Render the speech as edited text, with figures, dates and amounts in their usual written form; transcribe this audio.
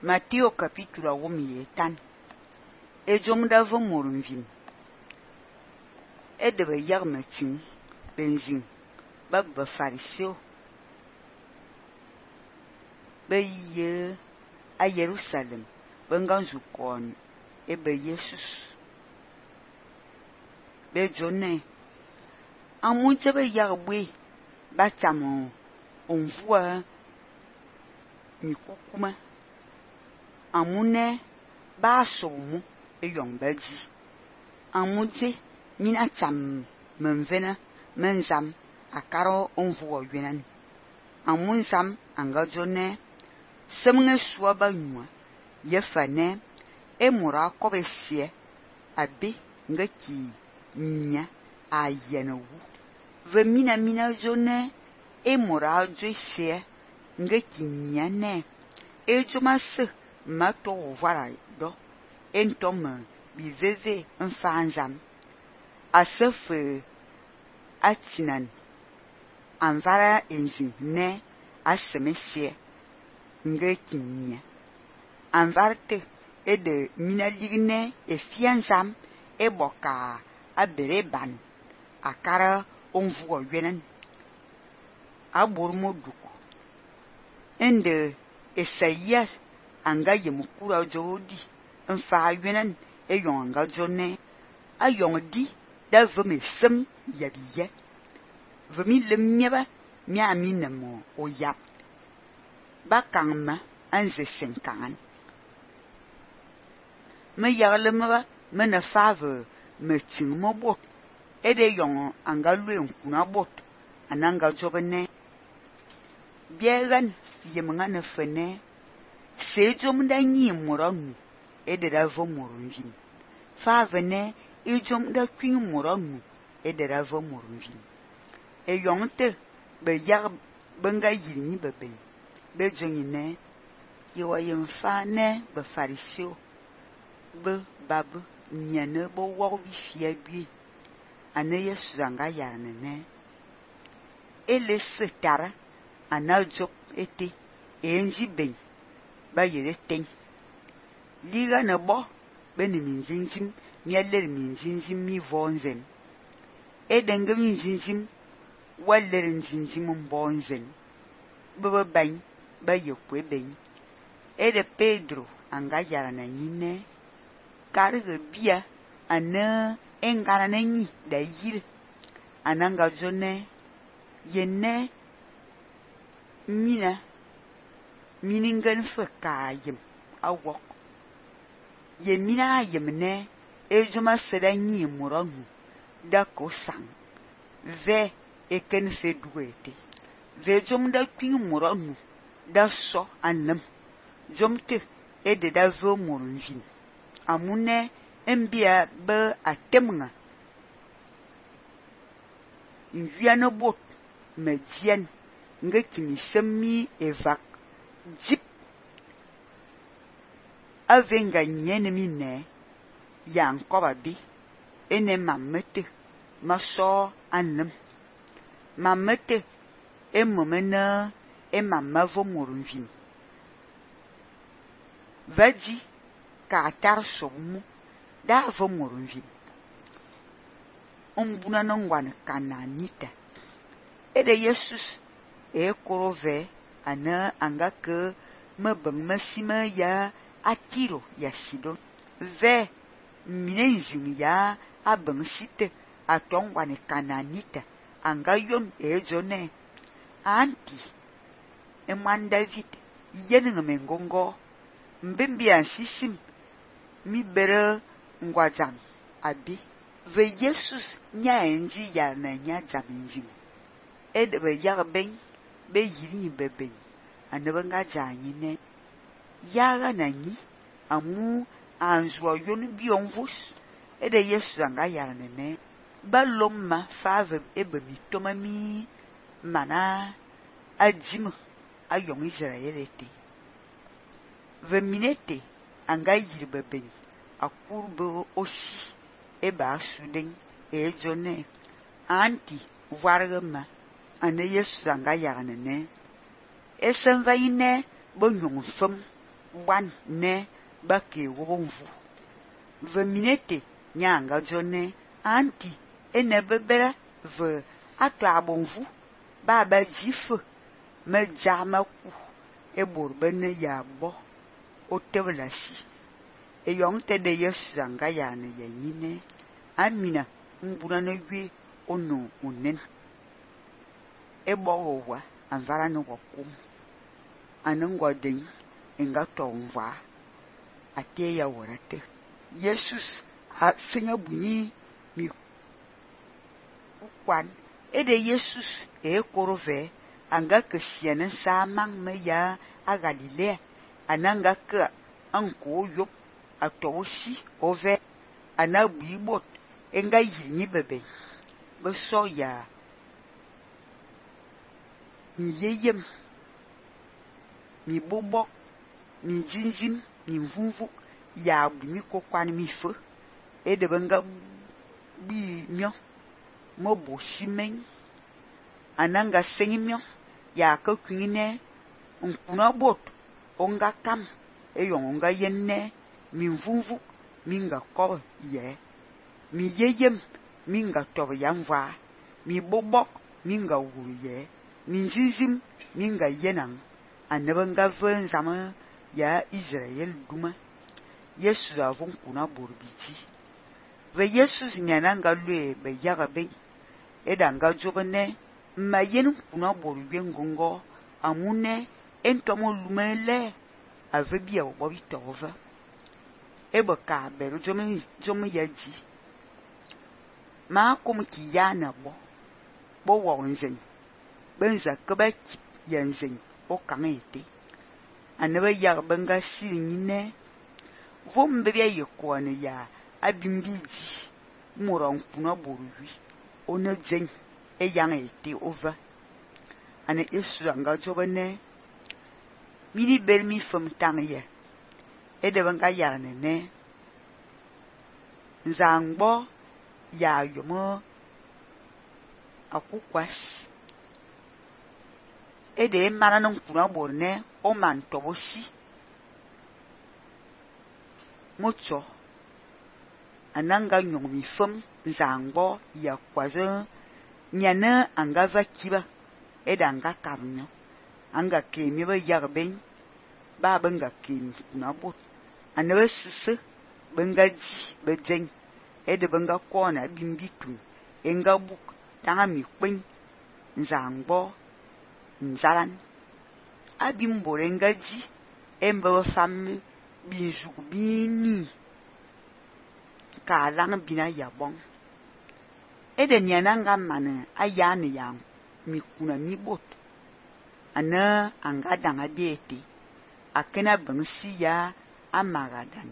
Matthieu capítulo 8 ejom da vemor vin e de be yag matin benzin ba fariseu be ye a Jerusalem benganzu kon e be Jesus be jonne amunche be yag bwe ba tamo onvua ni kukuma amune ba somu e yong baji amuje mina tam menvena menzam akaro onvua yenan amun sam anga jonne semnge suwa ba nyua yefane e mura kobe sie abi ngaki nya ayenu ve mina jonne e mura jo sie ngaki nya ne e joma se mato voilà do entom bi veve mfanzam asefe atinan anvara enzin ne asemesie ngekinya anvarte e de minaligne e fianzam e boka abereban akara onvuo yenen abormoduko ende Esaias anga yemukura jodi mfa yenen e yonga jonne ayong di da veme sem yabiye vemi lemnyeba mi aminemo oyap bakangma anze senkan me yarlemba me na fave me tingmo bot e de yong anga luen kuna bot ananga jobene biegan yemanga na fene sejom da nyi moranu e de da vomorunjin fave ne ejom da kwin moranu e de da vomorunjin e yongte be yag benga yirni bebe be jongine yewa yemfa ne be fariseo be babu nyane bo wo wi fia bi ane Yesu anga yarne ne ele setara anajo ete enji ben ba yere ten liga na bo beni minjinjim mialer minjinjim mi vonzen edenga minjinjim waler minjinjim mbonzen baba ban ba yekwe ben ede Pedro anga yara na nyine karga bia ana engara na nyi da yir ananga jone yenne miningen fekayem awok yemina yemne ejuma seda nyi muranu da kosang ve eken feduete ve jom da kwin muranu da so anlem jomte ede da vo murunjin amune embia be atemnga nviano bot medien ngekini semi evak jip avenga nyene mine yankoba bi ene mamete maso anlem mamete emomena emamma vo morunvin vaji ka tar somu da vo morunvin ombuna nongwan kananita ede Jesus e korove ana angake mabang masima ya atiro ya sidon ve minenzin ya abang site atongwane kananita anga yon e jone anti eman David yeninga mengongo mbembi ansisim mi bere ngwajam abi ve Jesus nya enji ya na nya jaminjim ed be yarben be yiri bebe anabanga janyi ne yaga nanyi amu anzwa yon bi onvus ede Yesu anga yarne ne balomma fave ebe mi tomami mana ajim ayong Israelete ve minete anga yiri bebe akurbo osi eba asuden e jone anti vargama ane Yesu anga yarne ne esen vaine bo nyong fem wan ne ba ke wonvu ve minete nyanga jone anti ene bebere ve atwa bonvu ba jife me jama ku e borbene ya bo o tebelasi e yong te de yesanga ya ne yine amina mbuna ne gwe ono onen e bo wa anvara no wokum anengwa den enga tomva ate ya worate Jesus a singa buni mi kwan ede Jesus e korove anga kesiene samang me ya a Galilea ananga ka anko yop atoshi ove anabibot enga yini bebe be so ya mi yeyem mi bobok mi jinjin mi mvumvu ya bumi ko kwan mi fo e de benga bi myo mo bo simen ananga sengimyo ya ka kwine nkuna bot onga kam e yonga yenne mi mvumvu minga ko ye mi yeyem minga tob yamva mi bobok minga wuru ye mi jinjin minga yenan anabanga ven zama ya Israel duma Yesu avon kuna borbiti ve Yesu nyananga lue be yaga be edanga jogene mayen kuna borbe ngongo amune entomo lumele avebia obobi tova eboka beru jomi yaji ma kom ki yana bo wonzen benza kebaki yanzen o kamete anaba yag banga sinyine vombe bia yekone ya abimbiji moran kuna boruwi ona jen e yang ete over ane Yesu anga jogene mini belmi fam tangye e de banga yarne ne nzangbo ya yomo akukwas e de maranon kuna borne o man toboshi mocho ananga nyomi fam nzangbo ya kwazo nyana anga vakiba edanga kamnyo anga kemi ba yarben ba banga kemi na bot anabe sisse banga ji bejeng ede banga kona bimbitu enga buk tanga mi kwen nzangbo nzalan abimbo enga ji emba fam bizu bini ka lang bina yabong ede nyananga mane ayane yang mi kuna mi bot ana anga danga bieti akena bangsi ya amagadan